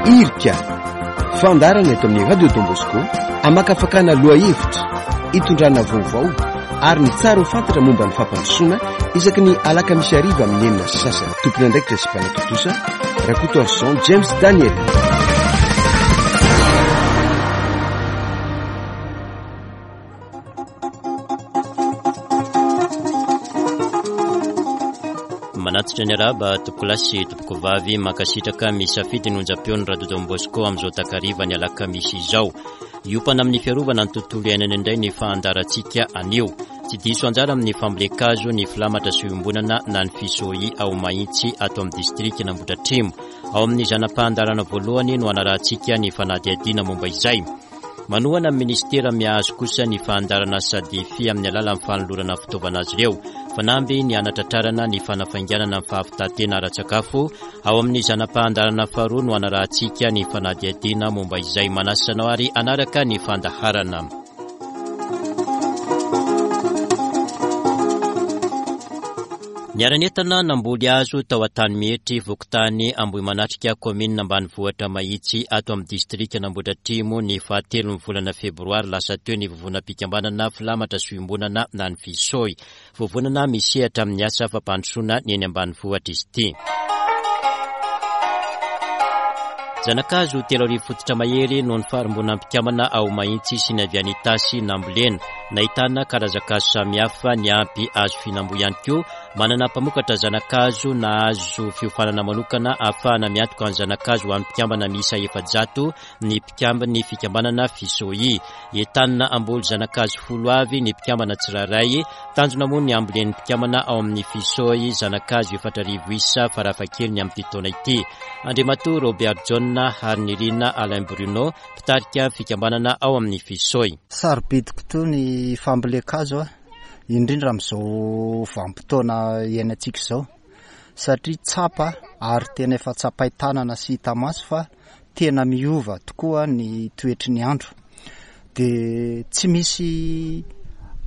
Irika, fandaharana eto amin'ny Radio Don Bosco, hamakafakana lohahevitra, hitondrana vaovao ary ny tsara ho fantatra momba ny fampandrosoana isaky ny alakamisy hariva amin'ny 6:30. Tompon'andraikitra sy mpanatontosa, Rakotoarison James Daniel. Manatitra ny arahaba tompokolahy sy tompokovavy, mankasitraka misafidy ny onjam-peon'ny Radio Don Bosco amin'izao takariva ny alakamisy izao. Hiompana amin'ny fiarovana ny tontolo iainana indray ny fahandarantsika anio. Tsy diso anjara amin'ny fambolen-kazo ny filamatra sy iombonana na ny FISOI ao Mahitsy ato amin'ny distrikan'Ambohidratrimo. Ao amin'ny zana-pahandarana voalohany no hanarahantsika ny fanadihadiana momba izay. Manohana ny minisitera mihazo kosa ny fahandarana Sadefi amin'ny alalan'ny fanolorana fitaovana azy ireo. Fanamby ny hanatratrarana ny fanafainganana ny fahavitan-tena ara-tsakafo. Ao amin'ny zana-pahandarana faharoa no hanarahantsika ny fanadihadiana momba izay. Manasa anao ary hanaraka ny fandaharana. Niara-nientana namboly hazo tao Antanimihetry, fokontany Ambohimanatrika, kaominina ambanivohitra Mahitsy, ato amin'ny distrikan'Ambohidratrimo, ny fahatelon'ny volana febroary lasa teo ny vovonam-pikambanana Filamatra sy Iombonana na ny Fisoi. Vovonana misehatra amin'ny asa fampandrosoana ny eny ambanivohitra izy ity. Zanakazo 30 fototra mahery noho ny farimbonan'ny mpikambana ao Mahitsy sy ny avy any Itasy nambolena. Nahitana karazan-kazo samihafa niampy hazo fihinam-boa ihany koa. Manana mpamokatra zanakazo nahazo fiofanana manokana ahafahana miantoka ny zanakazo ho an'ny mpikambana miisa 400 ny mpikambin'ny fikambanana Fisoi. Entanina hamboly zanakazo folo avy ny mpikambana tsirairay. Tanjona moa ny hambolen'ny mpikambana ao amin'ny Fisoi zanakazo 4000 isa farafahakeliny amin'ity taona ity. Andriamatoa Robert Jaona Harinirina Alain Bruno, mpitarika fikambanana ao amin'ny Fisoi. Sarobidy kotoa ny fambolen-kazo, indrindra amin'izao vanim-potoana iainantsika izao, satria tsapa ary tena efa tsapain-tanana sy hita maso fa tena miova tokoa ny toetry ny andro. Dia tsy misy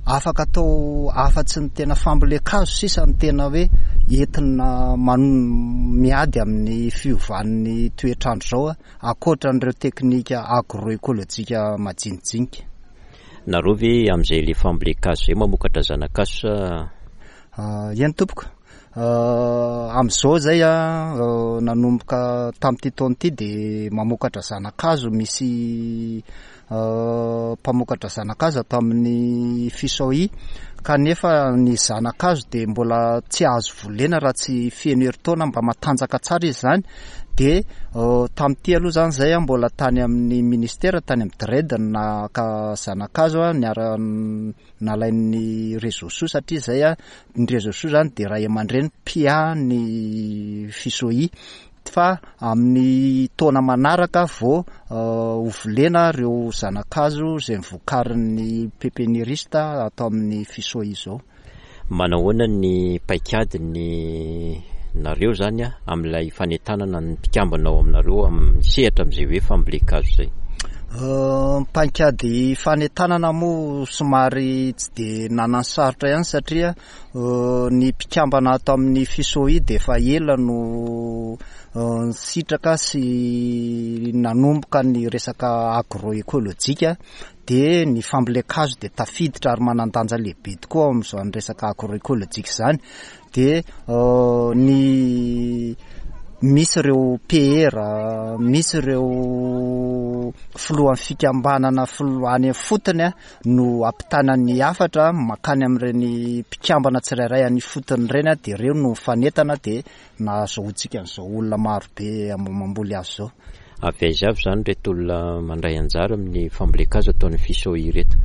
afaka atao afa-tsy ny tena fambolen-kazo sisa no tena hoe entina miady amin'ny fiovan'ny toetr'andro izao ankoatra an'ireo teknika agroekolojika majinijinika. Nareo ve amin'izay le fambolen-kazo izay mamokatra zana-kazo sa? Eny tompoko. Amin'izao izay nanomboka tamin'ity taona ity dia mamokatra zana-kazo, misy mpamokatra zana-kazo ato amin'ny Fisoi kanefa ny zana-kazo dia mbola tsy azo volena raha tsy feno herintaona mba matanjaka tsara izy izany dia tamin'ity aloha izany izay mbola tany amin'ny ministera tany amin'ny DRED no naka zana-kazo niara nalain'ny réseau soa satria izay ny réseau soa izany dia ray aman-dreny mpiahy ny FISOI fa amin'ny taona manaraka vao ho volena ireo zana-kazo izay novokarin'ny pépiniériste ato amin'ny FISOI izao. Manahoana ny paikady ny nareo zany amin'ilay fanentanana ny mpikambana ao aminareo amin'ny sehatra amin'izay hoe fambolen-kazo izay? Ny paikady fanentanana moa somary tsy dia nananosarotra ihany satria ny mpikambana ato amin'ny FISOI dia efa ela no nisitraka sy nanomboka ny resaka agroekolojika dia ny fambolen-kazo dia tafiditra ary manan-danja lehibe tokoa ao amin'izany resaka agroekolojika izany dia ny misy ireo PR, misy ireo filohan'ny fikambanana filoha any ifotony no ampitana ny hafatra mankany amin'ireny mpikambana tsirairay any ifotony ireny dia ireo no mifanentana dia nahazoantsika an'izao olona maro be mamboly hazo izao. Avy aiza avy izany ireto olona mandray anjara amin'ny fambolen-kazo ataon'ny FISOI ireto?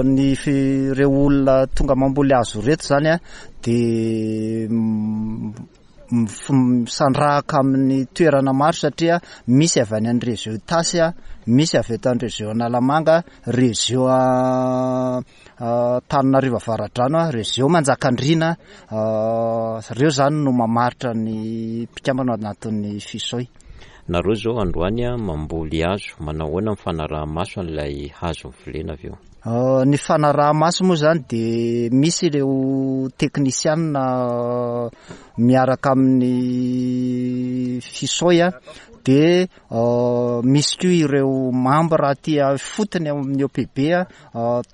Ny ireo olona tonga mamboly hazo ireto izany dia misandrahaka amin'ny toerana maro satria misy avy any amin'ny région Itasy, misy avy eto amin'ny région Analamanga, région Antananarivo Avaradrano, région Manjakandriana, ireo izany no mamaritra ny mpikambana ao anatin'ny FISOI. Nareo izao androany mamboly hazo, manao ahoana ny fanaraha-maso an'ilay hazo novolena avy eo? Ny fanaraha-maso moa izany dia misy ireo teknisianina miaraka amin'ny FISOI. Dia misy koa ireo mambra aty ifotony ao amin'ny OPB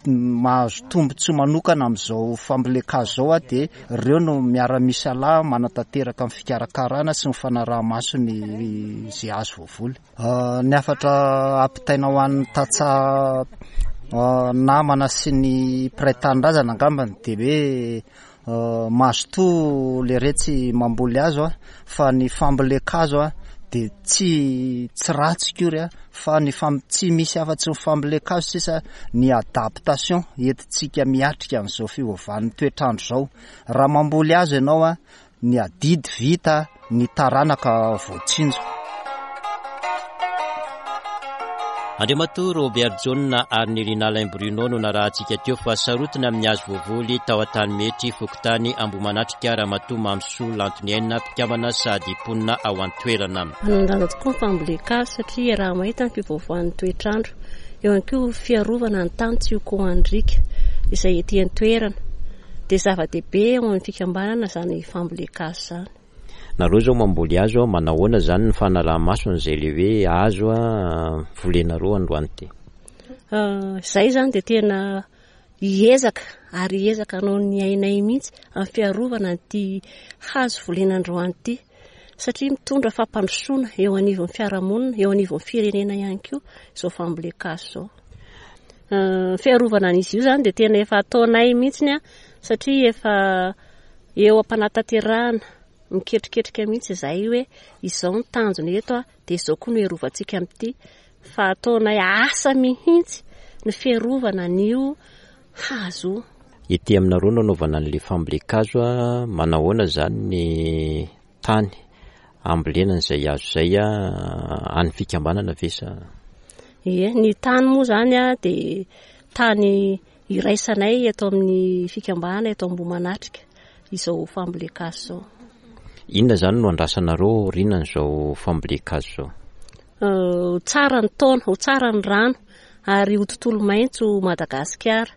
mahazo tombontsoa manokana amin'izao fambolen-kazo izao dia ireo no miara-misalahy manatanteraka ny fikarakarana sy ny fanaraha-maso ny izay hazo voavoly. Ny hafatra ampitaina ho an'ny tantsaha namana sy ny mpiray tanindrazana angambany dia hoe Mazotoa leretsy mamboly hazo a, fa ny fambolen-kazo a dia tsy tsy ratsy akory a, fa ny fam- tsy misy afa-tsy ny fambolen-kazo sisa ny adaptation entintsika miatrika an'izao fiovan'ny toetr'andro izao. Raha mamboly hazo ianao a, Ny adidy vita, ny taranaka voatsinjo. Andriamatoa Robert Jaona ary Nirina Alain Bruno no narahantsika teo fa sarotiny amin'ny hazo voavoly tao Antanimetry, fokontany Ambohimanatrika, Ramatoa Mamisoa Lantoniaina, mpikambana sady mponina ao an-toerana. Manan-danja tokoa ny fambolen-kazo satria iaraha-mahita ny fiovaovan'ny toetr'andro. Eo ihany koa fiarovana ny tany tsy ho koan-driaka izay ety an-toerana. Dia zava-dehibe eo amin'ny fikambanana izany fambolen-kazo izany. Nareo zao mamboly hazo a, manahoana zany ny fanaraha-maso an'izay le hoe hazo volenareo androany ty? Izay izany dia tena hiezaka ary hiezaka hanao ny ainay mihitsy amin'ny fiarovana an'ity hazo volena androany ity satria mitondra fampandrosoana eo anivon'ny fiarahamonina, eo anivon'ny firenena ihany koa izao fambolen-kazo izao. Fiarovana an'izy io izany dia tena efa ataonay mihitsy satria efa eo am-panatanterahana, miketriketrika mihitsy izahay hoe izao ny tanjona eto dia izao koa no hiarovantsika amin'ity fa ataonay asa mihitsy ny fiarovana an'io hazo io. Ety aminareo no anaovana an'ilay fambolen-kazo, manahoana izany ny tany ambolena an'izay hazo izay an'ny fikambanana ve sa? Ie, ny tany moa izany dia tany iraisanay eto amin'ny fikambanana eto Ambohimanatrika izao fambolen-kazo izao. Inona izany no andrasanareo aorianan'izao fambolen-kazo izao? Ho tsara ny taona, ho tsara ny rano ary ho tontolo maitso Madagasikara.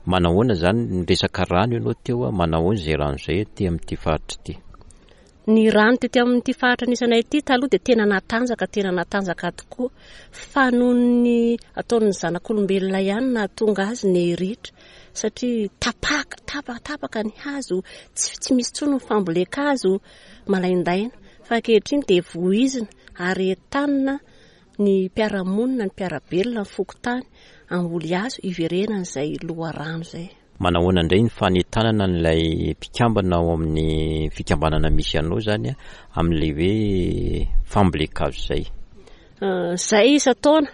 Manahoana izany ny resaka rano ianao teo, manahoana izay rano izay aty amin'ity faritra ity? Ny rano tety amin'ity faritra nisy anay ity taloha dia tena natanjaka, tena natanjaka tokoa. Fa noho ny ataon'ny zanak'olombelona ihany nahatonga azy nihiritra satria tapaka, tapaka, tapaka ny hazo, tsy, tsy misy intsony ny fambolen-kazo malaindaina. Fa ankehitriny dia voizina ary entanina ny mpiara-monina, ny mpiara-belona, ny fokontany hamboly hazo hiverenan'izay loharano izay. Manahoana indray ny fanentanana an'ilay mpikambana ao amin'ny fikambanana misy anao izany amin'ilay hoe fambolen-kazo izay? Izay isan-taona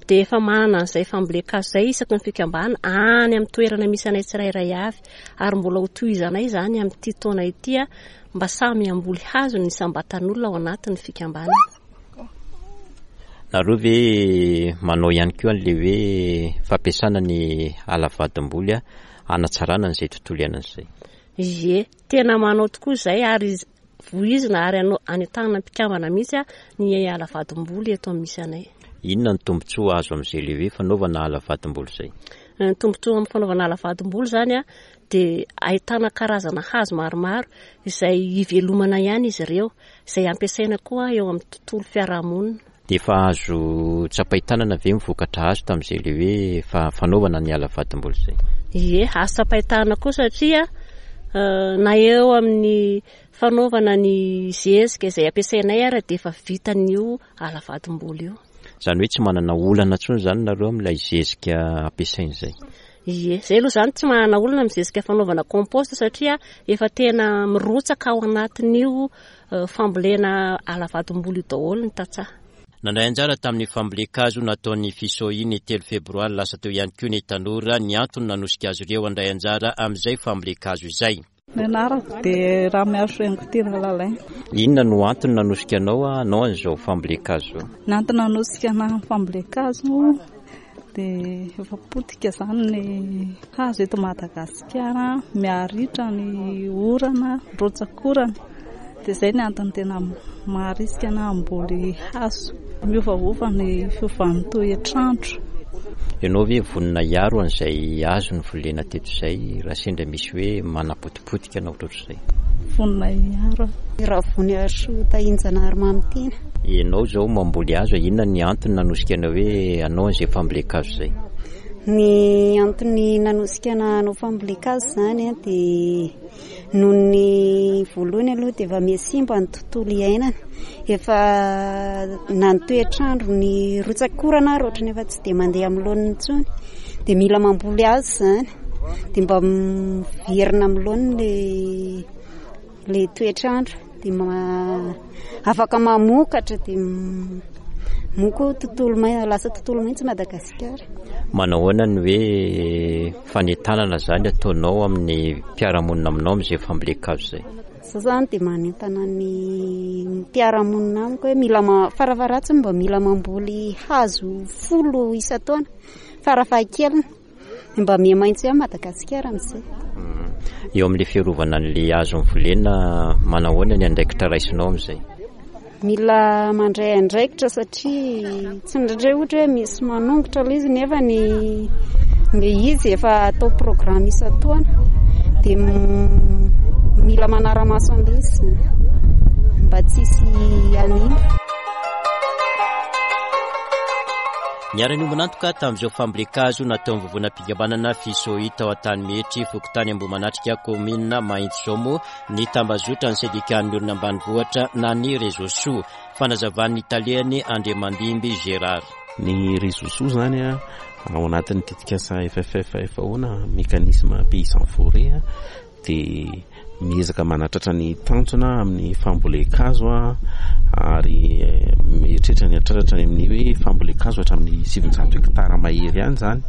dia efa manana an'izay fambolen-kazo izay isaky ny fikambanana any amin'ny toerana misy anay tsirairay avy ary mbola ho tohizanay izany amin'ity taona ity mba samy hamboly hazo ny isam-batan'olona ao anatin'ny fikambanana. Nareo ve manao ihany koa an'ilay hoe fampiasana ny ala vadimboly hanatsarana an'izay tontolo iainana izay? Ie, tena manao tokoa izay ary voizina ary anentanana mpikambana mihitsy ny ala vadimboly eto amin'ny misy anay. Inona ny tombontsoa azo amin'izay ilay hoe fanaovana ala vadimboly izay? Ny tombontsoa amin'ny fanaovana ala vadimboly izany dia ahitana karazana hazo maromaro izay ivelomana ihany izy ireo. izay ampiasaina koa eo amin'ny tontolo fiarahamonina. Dia efa azo tsapain-tanana ve ny vokatra azo tamin'izay ilay hoe fa fanaovana ny ala vadimboly izay? Ie, azo tsapain-tanana koa satria na eo amin'ny fanaovana ny zezika izay ampiasainay ara dia efa vitan'io ala vadimboly io. Izany hoe tsy manana olana intsony izany nareo amin'ilay zezika ampiasaina izay? Ie, izay aloha izany tsy manana olana amin'ny zezika fanaovana compost satria efa tena mirotsaka ao anatin'io fambolena ala vadim-bolo io daholo ny tantsaha. Nandray anjara tamin'ny fambolen-kazo nataon'ny Fisohi ny telo febroary lasa teo ihany koa ny tanora, ny antony nanosika azy ireo handray anjara amin'izay fambolen-kazo izay. Ny anarako dia Ramiarisoa Tiana Lalaina. Inona no antony nanosika anao hanao an'izao fambolen-kazo izao? Ny antony nanosika anahy amin'ny fambolen-kazo dia efa potika izany ny hazo eto Madagasikara, miharitra ny orana, rotsak'orana. Dia izay ny antony tena maharisika anahy hamboly hazo. Miovaova ny fiovan'ny toetr'andro. Ianao ve vonona hiaro an'izay hazo novolena teto izay raha sendra misy hoe manapotipotika na ohatrohatr'izay? Vonona hiaro aho. Ravoniarisoa Tahinjanahary Mamitiana. Ianao izao mamboly hazo, inona ny antony nanosika anao hoe hanao an'izay fambolen-kazo izay? Ny antony nanosika anah hanao fambolen-kazo izany dia noho ny voalohany aloha dia efa miha-simba ny tontolo iainana, efa na ny toetr'andro, ny rotsak'orana ary ohatran'ny efa tsy dia mandeha amin'ny laoniny intsony dia mila mamboly hazo izany dia mba miverina amin'ny laoniny ilay toetr'andro dia afaka mamokatra dia moa koa tontolo maitso, lasa tontolo maitso Madagasikara. Manao ahoana ny hoe fanentanana izany ataonao amin'ny mpiara-monina aminao amin'izay fambolen-kazo izay? Za zany dia manentana ny mpiara-monina amiko hoe mila farafaharatsiny mba mila mamboly hazo folo isan-taona farafahakeliny. Mba miha maitso ihany Madagasikara amin'izay. Eo amin'ilay fiarovana an'ilay hazo novolena, manahoana ny andraikitra raisinao amin'izay? Mila mandray andraikitra satria tsy indraindray ohatra hoe misy manongotra ilay izy nefa ny ilay izy efa atao programme isan-taona dia mila manara-maso an'ilay izy mba tsy hisy hanimba. Niara-niombon'antoka tamin'izao fambolen-kazo nataon'ny vovonam-pikambanana Fisoi tao Antanimetry, fokontany Ambohimanatrika, kaominina Mahitsizao moa ny tambazotran'ny sendikan'ny olona ambanivohitra na ny Réseau Soa. Fanazavan'ny talehany Andriamandimby Gérard. Ny Réseau Soa izany ao anatin'ny tetikasa FFF FAO na Mécanisme Paysan Forêt dia miezaka manatratra ny tanjona amin'ny fambolen-kazo ary mieritreritra ny hatratratra any amin'ny hoe fambolen-kazo hatramin'ny 900 hektara mahery any izany.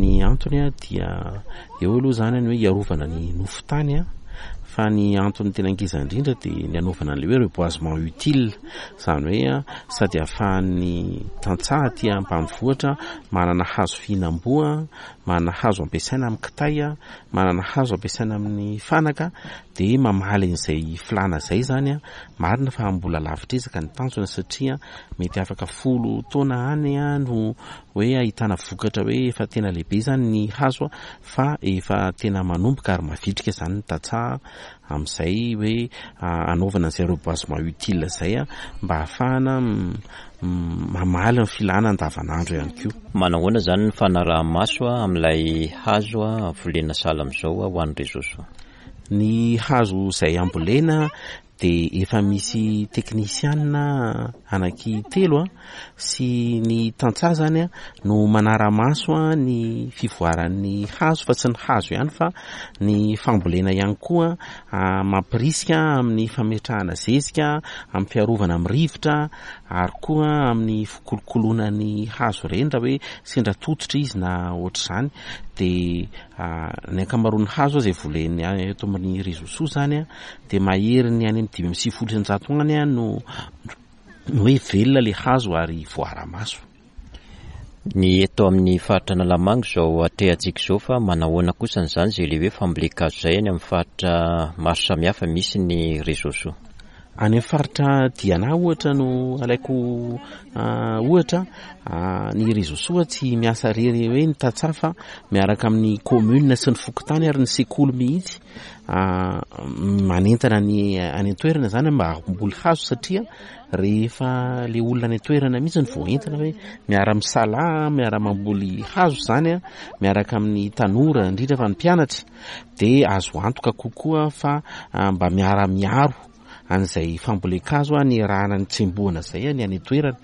Ny antony dia eo aloha izany ny hoe hiarovana ny nofon-tany fa ny antony tena ngeza indrindra dia ny hanaovana an'ilay hoe reboisement utile, izany hoe sady ahafahan'ny tantsaha aty ambanivohitra manana hazo fihinam-boa, manana hazo ampiasaina amin'ny kitay, manana hazo ampiasaina amin'ny fanaka dia mamaly an'izay filàna izay izany an, marina fa mbola lavitr'ezaka ny tanjona satria mety afaka folo taona any no hoe ahitana vokatra hoe efa tena lehibe izany ny hazo fa efa tena manomboka ary mavitrika izany ny tantsaha amin'izay hoe hanaovana an'izay reboisement utile izay mba hahafahana mamaly ny filàna andavanandro ihany koa. Manahoana izany ny fanaraha-maso amin'ilay hazo volena sahala amin'izao ho an'ny Réseau Soa? Ny hazo izay ambolena dia efa misy teknisianina anaky telo sy ny tantsaha izany no manara-maso ny fivoaran'ny hazo fa tsy ny hazo ihany fa ny fambolena ihany koa mampirisika amin'ny fametrahana zezika, amin'ny fiarovana amin'ny rivotra ary koa amin'ny fikolokoloana ny hazo ireny raha hoe sendra tototra izy na ohatr'izany dia ny ankamaroan'ny hazo izay volena eto amin'ny Réseau Soa izany dia maherin'ny any amin'ny 195 any no hoe velona ilay hazo ary voara-maso. Ny eto amin'ny faritra Analamanga izao atrehantsika izao fa manahoana kosa izany izay ilay hoe fambolen-kazo izay any amin'ny faritra maro samihafa misy ny réseau soa? Any amin'ny faritra Diana ohatra no alaiko ohatra, ny réseau soa tsy miasa irery hoe ny tantsaha fa miaraka amin'ny commune sy ny fokontany ary ny sekoly mihitsy manentana ny any an-toerana izany mba hamboly hazo satria Rehefa le olona any an-toerana mihitsy no voaentina hoe miara-misalahy, miara-mamboly hazo izany an, miaraka amin'ny tanora indrindra fa ny mpianatra dia azo antoka kokoa fa mba miara-miaro an'izay fambolen-kazo niarahana nitsembohana izay ny any an-toerana.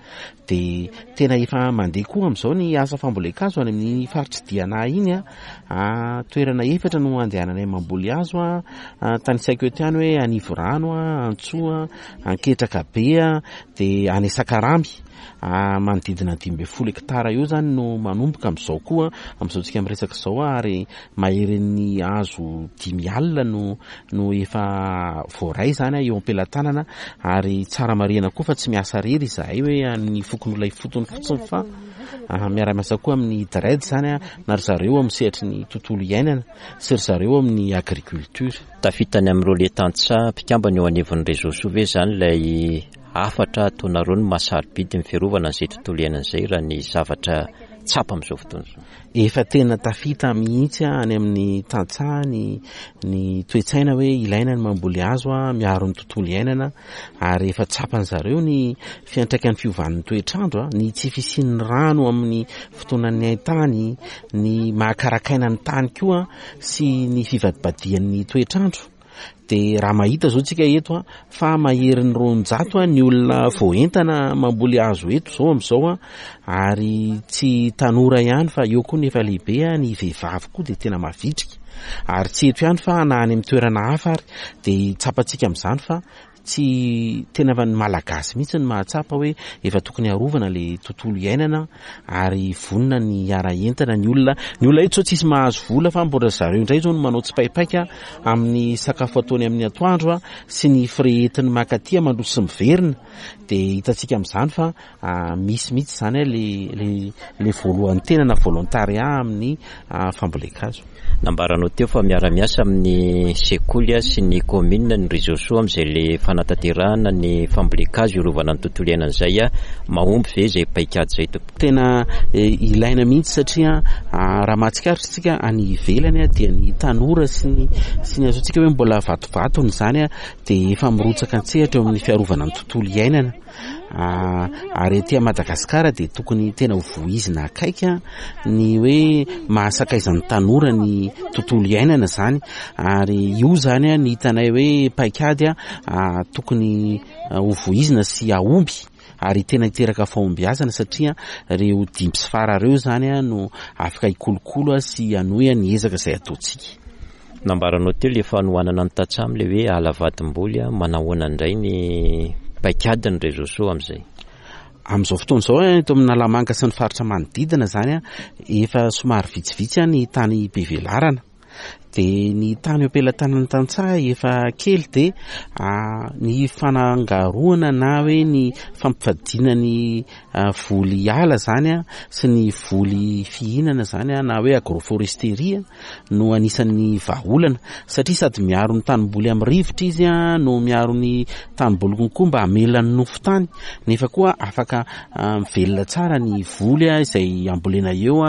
Dia tena efa mandeha koa amin'izao ny asa fambolen-kazo any amin'ny faritr'i Diana iny an. Toerana efatra no andehananay mamboly hazo an, tanisaiko eto ihany hoe Anivorano, Antsoa, Anketraka be dia any Sakaramy, manodidina ny 15 hektara eo izany no manomboka amin'izao koa, amin'izao tsika miresaka izao ary maherin'ny hazo dimy alina no no efa voaray izany eo am-pelatanana ary tsara marihana koa fa tsy miasa irery izahay hoe an'ny fokonolona ifotony fotsiny fa miara-miasa koa amin'ny DREDD izany na ry zareo amin'ny sehatry ny tontolo iainana sy ry zareo amin'ny agriculture. Tafita any amin'ireo le tantsaha mpikambana eo anivon'ny Réseau Soa ve izany ilay hafatra ataonareo ny maha sarobidy ny fiarovana an'izay tontolo iainana izay raha ny zavatra. tsapa amin'izao fotoana izao? Efa tena tafita mihitsy any amin'ny tantsaha ny ny toe-tsaina hoe ilaina ny mamboly hazo miaro ny tontolo iainana ary efa tsapan'ny zareo ny fiantraikan'ny fiovan'ny toetr'andro, ny tsy fisian'ny rano amin'ny fotoanan'ny haintany, ny maha-karakaina ny tany koa sy ny fivadibadihan'ny toetr'andro. Dia raha mahita zao tsika eto a, fa maherin'ny 200 ny olona voaentana mamboly hazo eto zao amin'izao a, ary tsy tanora ihany fa eo koa ny efa lehibe a, ny vehivavy koa dia tena mavitrika, ary tsy eto ihany fa na any amin'ny toerana hafa ary, dia tsapantsika amin'izany fa Tsy tena efa ny Malagasy mihitsy no mahatsapa hoe efa tokony harovana le tontolo iainana ary vonona ny hiara-hientana ny olona. Ny olona eto zao tsisy mahazo vola fa mbola zareo indray zao no manao tsipaipaika amin'ny sakafo ataony amin'ny atoandro sy ny frais entiny makaty mandroso sy miverina. Dia hitantsika amin'izany fa misy mihitsy izany le le le voalohan-tena na volontariat amin'ny fambolen-kazo. Nambaranao teo fa miara-miasa amin'ny sekoly sy ny commune ny Réseau Soa amin'izay le fanatanterahana ny fambolen-kazo hiarovana ny tontolo iainana izay. Mahomby ve izay paikady izay tompoko? Tena ilaina mihitsy satria raha mahatsikaritra isika any ivelany dia ny tanora sy ny sy ny azontsika hoe mbola vatovatony izany dia efa mirotsaka an-tsehatra eo amin'ny fiarovana ny tontolo iainana. Ary aty Madagasikara dia tokony tena ho vohizina akaiky ny hoe mahasakaizan'ny tanora ny tontolo iainana izany ary io izany ny hitanay hoe paikady tokony ho vohizina sy hahomby ary tena hiteraka fahombiazana satria ireo dimby sy fara ireo izany no afaka hikolokolo sy hanohy ny ezaka izay ataontsika. Nambaranao teo le fanohanana ny tantsaha amle hoe ala vadimboly a, manahoana indray ny paikadiny réseau so amizay? Amin'izao fotoana izao eto amin'Analamanga sy ny faritra manodidina izany efa somary vitsivitsy ny tany be velarana. Dia ny tany eo am-pelatanan'ny tantsaha efa kely dia ny fanangaroana na hoe ny fampivadiana ny voly ala izany sy ny voly fihinana izany na hoe agroforesterie no anisan'ny vahaolana satria sady miaro ny tanimboly amin'ny rivotra izy no miaro ny tanimboly konkoa mba hamela ny nofon-tany nefa koa afaka mivelona tsara ny voly izay ambolena eo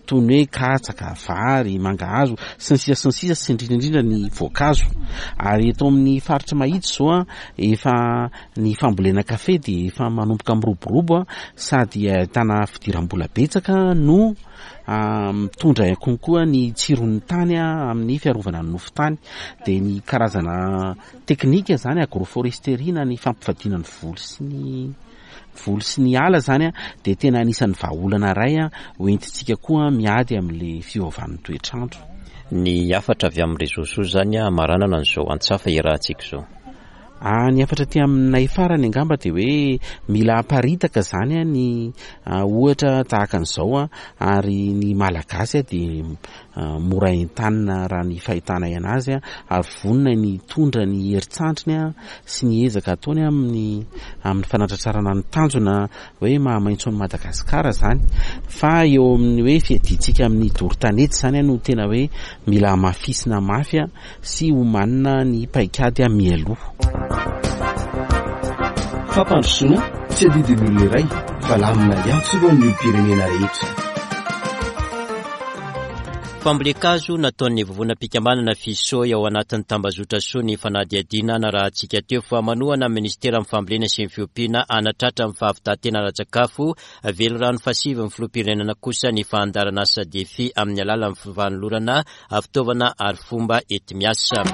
toy ny hoe katsaka, vary, mangahazo sy ny sisa sy ny sisa sy indrindra indrindra ny voankazo. Ary eto amin'ny faritra Mahitsy izao efa ny fambolena kafe dia efa manomboka miroborobo sady ahitana fidiram-bola betsaka no Mitondra konkoa ny tsiron'ny tany amin'ny fiarovana ny nofon-tany. Dia ny karazana teknika izany agroforesterie na ny fampivadiana ny voly sy ny voly sy ny ala izany dia tena anisan'ny vahaolana iray hoentintsika koa miady amin'ilay fiovan'ny toetr'andro. Ny hafatra avy amin'ny réseaux soa izany hamaranana an'izao antsafa iarahantsika izao. Ny hafatra aty aminay farany angamba dia hoe mila aparitaka izany ny ohatra tahaka an'izao ary ny Malagasy dia mora entanina raha ny fahitanay anazy ary vonona ny hitondra ny herin-tsandriny sy ny ezaka ataony amin'ny amin'ny fanatratrarana ny tanjona hoe maha-maitso an'i Madagasikara izany fa eo amin'ny hoe fiadiantsika amin'ny doro tanety izany no tena hoe mila hamafisina mafy sy omanina ny paikady mialoha. Fampandrosoana tsy adidin'ny olona iray fa lamina iantsorohan'ny olom-pirenena rehetra. Fambolen-kazo nataon'ny vovonam-pikambanana Fisoy ao anatin'ny tambazotra soa ny fanadihadiana narahantsika teo fa manohana ny minisiteran'ny fambolena sy ny fiompiana hanatratra ny fahavitan-tena ara-tsakafo velirano fahasivy ny filoham-pirenena kosa ny fandaharan'asa Defi amin'ny alalan'ny fanolorana fitaovana ary fomba enti-miasa.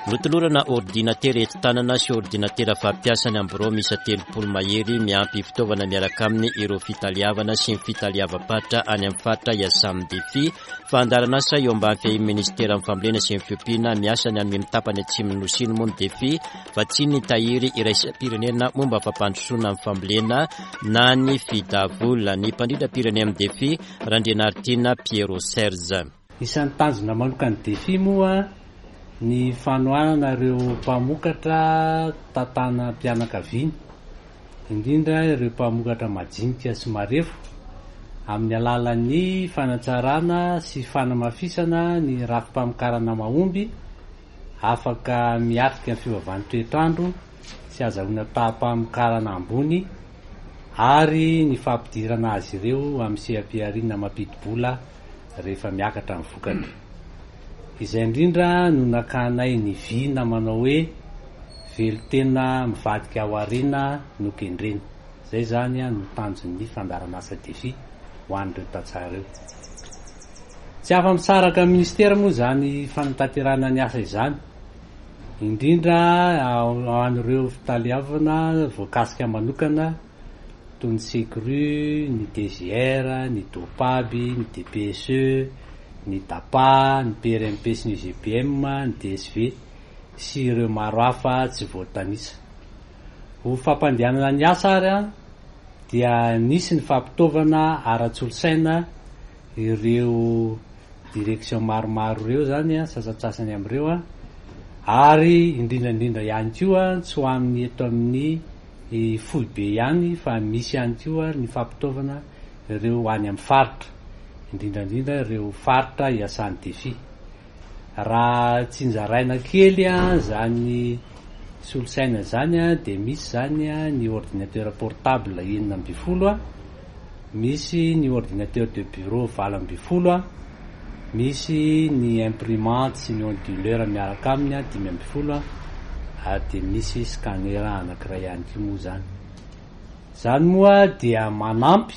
Notolorana ordinatera enti-tanana sy ordinatera fampiasa ny amin'ny birao miisa 30 mahery miampy fitaovana miaraka aminy ireo fitaleavana sy ny fitaleavam-paritra any amin'ny faritra iasan'ny Defi. Fandaharan'asa eo ambany fiahian'ny Ministeran'ny Fambolena sy ny Fiompiana miasa ny any amin'ny tapany atsimon'ny Nosy iny moa ny Defi vatsian'ny tahiry iraisam-pirenena momba fampandrosoana ny fambolena na ny Fidavola. Ny mpandrindram-pirenena amin'ny Defi, Randrianaritiana Pierrot Serge. Isan'ny tanjona manokan'ny Defi moa ny fanohanana ireo mpamokatra tantanam-pianakaviana, indrindra ireo mpamokatra majinika sy marefo, amin'ny alalan'ny fanatsarana sy fanamafisana ny rafi-pamokarana mahomby Afaka miatrika ny fiovaovan'ny toetr'andro sy azahoana taham-pamokarana ambony ary ny fampidirana azy ireo amin'ny seha-pihariana mampidi-bola rehefa miakatra ny vokatra. Izay indrindra no nakanay ny vina manao hoe velon-tena mivadika ao aoriana no kendrena. Izay izany no tanjon'ny fandaharanasa Defi ho an'ireo tantsaha ireo. Tsy afa-misaraka amin'ny minisitera moa izany fanatanterahana ny asa izany, indrindra ho an'ireo fitaleavana voakasika manokana toy ny Secru, ny DGR, ny Dopab, ny DPSE, ny DAPA, ny PRMP sy ny UGPM, ny DSV sy ireo maro hafa tsy voatanisa. Ho fampandehanana ny asa ary dia nisy ny fampitaovana ara-tsolosaina ireo direction maromaro ireo izany, sasantsasany amin'ireo, ary indrindra indrindra ihany koa tsy ho amin'ny eto amin'ny foibe ihany fa misy ihany koa ny fampitaovana ireo any amin'ny faritra, indrindra indrindra ireo faritra iasan'ny Defi. Raha tsinjaraina kely izany solosaina izany dia misy izany ny ordinateur portable 16, misy ny ordinateur de bureau 18, misy ny imprimante sy ny onduleur miaraka aminy 15 ary dia misy scanner anankiray ihany koa moa izany. Izany moa dia manampy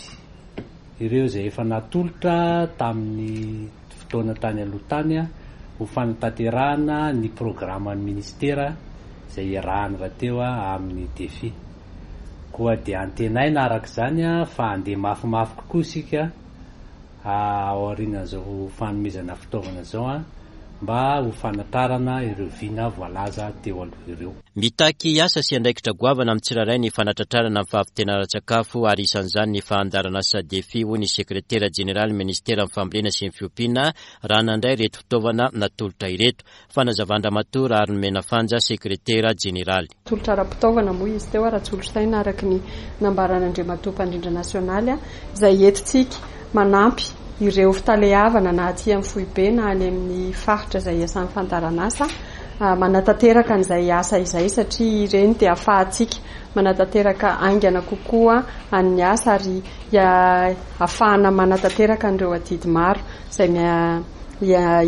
ireo izay efa natolotra tamin'ny fotoana tany aloha tany ho fanatanterahana ny programan'ny minisitera izay iarahany rahateo amin'ny Defi. Koa dia antenaina araka izany fa handeha mafimafy kokoa isika aorianan'izao fanomezana fitaovana izao mba ho fanatrarana ireo vina voalaza teo aloha ireo. Mitaky asa sy andraikitra goavana amin'ny tsirairay ny fanatratrarana ny fahavitena ara-tsakafo ary isan'izany ny fandaharanasa Defi, hoy ny sekretera jeneralin'ny minisiteran'ny Fambolena sy ny Fiompiana raha nandray ireto fitaovana natolotra ireto. Fanazavan-dRamatoa Raharimena Fanja, sekretera jeneraly. Tolotra ara-pitaovana moa izy teo, ara-tsolosaina araka ny nambaran'Andriamatoa Mpandrindra Nasionaly, izay entintsika manampy ireo fitaleavana na aty amin'ny foibe na any amin'ny faritra izay iasan'ny fandaharanasa manatanteraka an'izay asa izay satria ireny dia ahafahantsika manatanteraka haingana kokoa an'ny asa ary ahafahana manatanteraka an'ireo adidy maro izay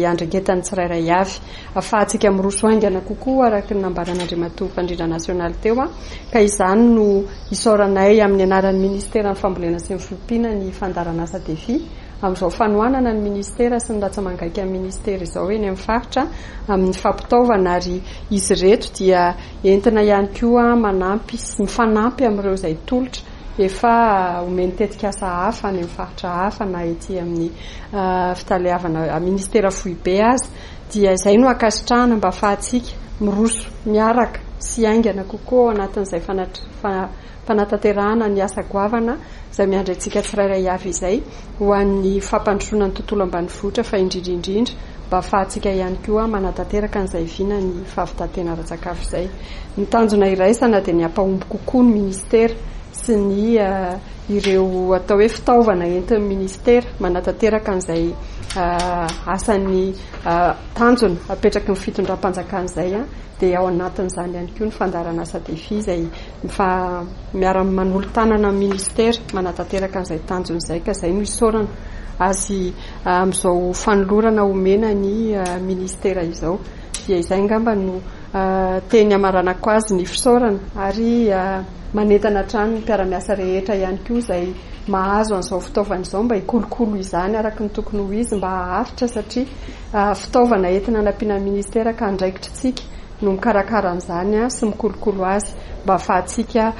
iandraiketan'ny tsirairay avy. Ahafahantsika miroso haingana kokoa araka ny nambaran'Andriamatoa Mpandrindra Nasionaly teo ka izany no isaoranay amin'ny anaran'ny Ministeran'ny Fambolena sy ny Fiompiana ny fandaharanasa Defi amin'izao fanohanana ny Ministera sy ny ratsa-mangaikan'ny Ministera izao eny amin'ny faritra amin'ny fampitaovana ary izy ireto dia entina ihany koa manampy sy mifanampy amin'ireo izay tolotra efa omen'ny tetikasa hafa any amin'ny faritra hafa na ety amin'ny fitaleavana ministera foibe aza dia izay no ankasitrahana mba afahantsika miroso miaraka sy haingana kokoa ao anatin'izay fanatanterahana ny asa goavana izay miandry antsika tsirairay avy izay ho an'ny fampandrosoana ny tontolo ambanivohitra fa indrindra indrindra mba afahantsika ihany koa manatanteraka an'izay vina ny fahavitan-tena ara-tsakafo izay. Ny tanjona iraisana dia ny hampahomby kokoa ny ministera sy ny ireo atao hoe fitaovana entin'ny ministera manatanteraka an'izay asan'ny tanjona apetraky ny fitondram-panjakana izay dia ao anatin'izany ihany koa ny fandaharanasa Defi izay miara-manolo-tanana amin'ny ministera manatanteraka an'izay tanjona izay ka izay no isaorana azy amin'izao fanolorana omena ny ministera izao. Dia izay angamba no teny hamaranako azy ny fisaorana ary manentana hatrany ny mpiara-miasa rehetra ihany koa izay mahazo an'izao fitaovana izao mba hikolokolo izany araka ny tokony ho izy mba haharitra satria fitaovana entina hanampiana ny ministera ka andraikitritsika no mikarakara an'izany sy mikolokolo azy mba hahafahantsika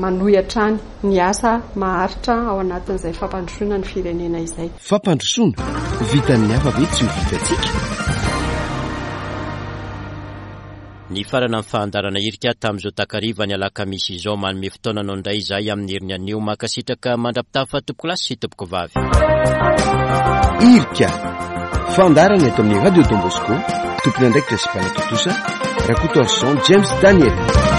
manohy hatrany ny asa maharitra ao anatin'izay fampandrosoana ny firenena izay. Fampandrosoana, vitan'ny hafa ve tsy ho vitantsika? Nifarana ny fahandarana hirika tamin'izao takariva ny alakamisy izao. Manome fotoana anao indray izahay amin'ny heriny anio. Mankasitraka mandra-pitafa tompokolahy sy tompokovavy. Hirika, fandaharana eto amin'ny Radio Don Bosco, tompon'andraikitra sy mpanatontosa, Rakotoarison James Daniel.